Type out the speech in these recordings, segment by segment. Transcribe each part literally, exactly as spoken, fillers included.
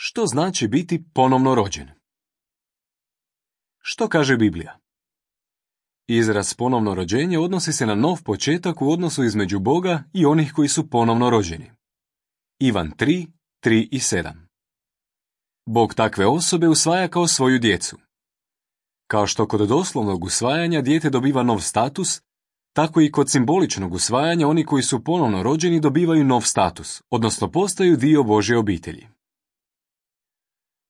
Što znači biti ponovno rođen? Što kaže Biblija? Izraz ponovno rođenje odnosi se na nov početak u odnosu između Boga i onih koji su ponovno rođeni. Ivan tri, tri i sedam. Bog takve osobe usvaja kao svoju djecu. Kao što kod doslovnog usvajanja dijete dobiva nov status, tako i kod simboličnog usvajanja oni koji su ponovno rođeni dobivaju nov status, odnosno postaju dio Božje obitelji.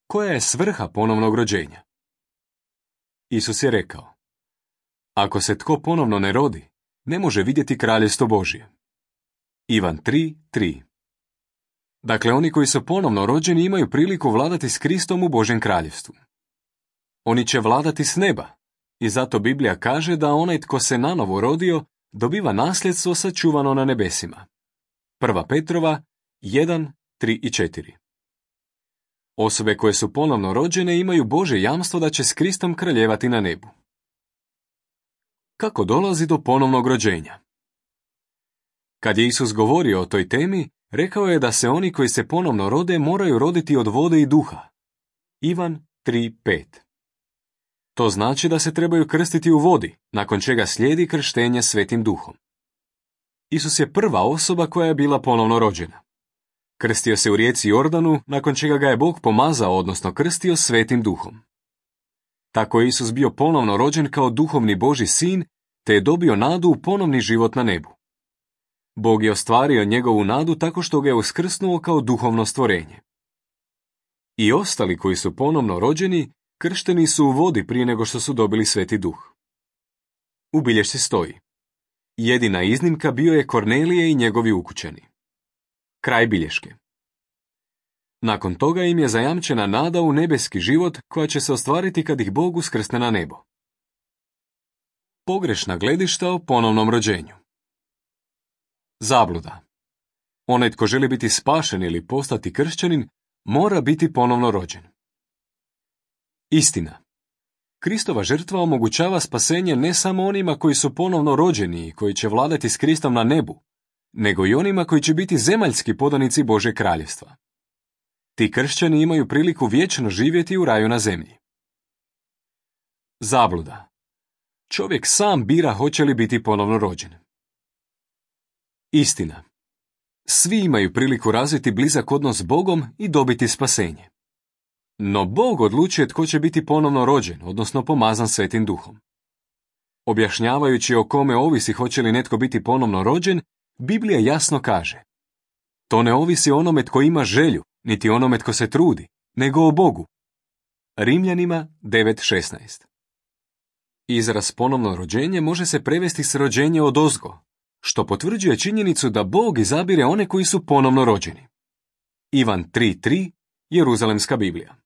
Koja je svrha ponovnog rođenja? Isus je rekao: ako se tko ponovno ne rodi, ne može vidjeti kraljevstvo Božje. Ivan tri, tri. Dakle, oni koji su ponovno rođeni imaju priliku vladati s Kristom u Božjem kraljevstvu. Oni će vladati s neba, i zato Biblija kaže da onaj tko se nanovo rodio dobiva nasljedstvo sačuvano na nebesima. Prva Petrova jedan, tri i četiri. Osobe koje su ponovno rođene imaju Božje jamstvo da će s Kristom kraljevati na nebu. Kako dolazi do ponovnog rođenja? Kad je Isus govorio o toj temi, rekao je da se oni koji se ponovno rode moraju roditi od vode i duha. Ivan tri, pet. To znači da se trebaju krstiti u vodi, nakon čega slijedi krštenje Svetim duhom. Isus je prva osoba koja je bila ponovno rođena. Krstio se u rijeci Jordanu, nakon čega ga je Bog pomazao, odnosno krstio Svetim duhom. Tako je Isus bio ponovno rođen kao duhovni Božji sin, te je dobio nadu u ponovni život na nebu. Bog je ostvario njegovu nadu tako što ga je uskrsnuo kao duhovno stvorenje. I ostali koji su ponovno rođeni, kršteni su u vodi prije nego što su dobili Sveti duh. U bilješci stoji: jedina iznimka bio je Kornelije i njegovi ukućani. Kraj bilješke. Nakon toga im je zajamčena nada u nebeski život koja će se ostvariti kad ih Bog uskrsne na nebo. Pogrešna gledišta o ponovnom rođenju. Zabluda. Onaj tko želi biti spašen ili postati kršćanin, mora biti ponovno rođen. Istina. Kristova žrtva omogućava spasenje ne samo onima koji su ponovno rođeni i koji će vladati s Kristom na nebu, nego i onima koji će biti zemaljski podanici Božje kraljevstva. Ti kršćani imaju priliku vječno živjeti u raju na zemlji. Zabluda. Čovjek sam bira hoće li biti ponovno rođen. Istina. Svi imaju priliku razviti blizak odnos s Bogom i dobiti spasenje. No Bog odlučuje tko će biti ponovno rođen, odnosno pomazan Svetim duhom. Objašnjavajući o kome ovisi hoće li netko biti ponovno rođen, Biblija jasno kaže: to ne ovisi o onome tko ima želju, niti onome tko se trudi, nego o Bogu. Rimljanima devet šesnaest. Izraz ponovno rođenje može se prevesti s rođenje odozgo, što potvrđuje činjenicu da Bog izabire one koji su ponovno rođeni. Ivan tri tri, Jeruzalemska Biblija.